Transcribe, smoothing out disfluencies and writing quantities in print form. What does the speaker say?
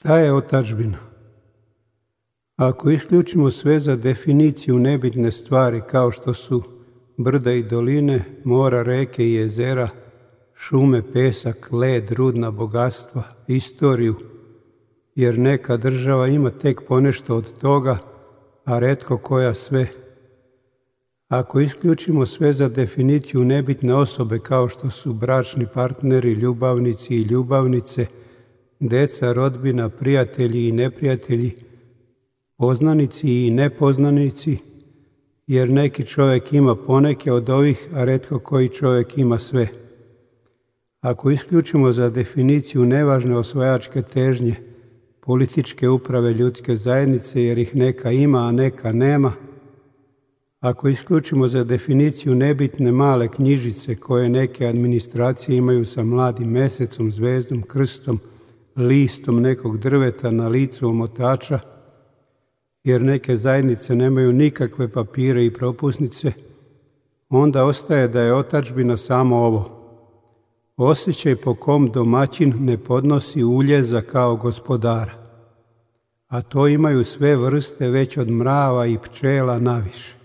Šta je otadžbina? Ako isključimo sve za definiciju nebitne stvari kao što su brda i doline, mora, reke i jezera, šume, pesak, led, rudna bogatstva, istoriju, jer neka država ima tek ponešto od toga, a retko koja sve. Ako isključimo sve za definiciju nebitne osobe kao što su bračni partneri, ljubavnici i ljubavnice, deca, rodbina, prijatelji i neprijatelji, poznanici i nepoznanici, jer neki čovjek ima poneke od ovih, a retko koji čovjek ima sve. Ako isključimo za definiciju nevažne osvajačke težnje, političke uprave ljudske zajednice, jer ih neka ima, a neka nema, ako isključimo za definiciju nebitne male knjižice koje neke administracije imaju sa mladim mesecom, zvezdom, krstom, listom nekog drveta na licu omotača, jer neke zajednice nemaju nikakve papire i propusnice, onda ostaje da je otadžbina samo ovo. Osjećaj po kom domaćin ne podnosi uljeza kao gospodara, a to imaju sve vrste već od mrava i pčela naviše.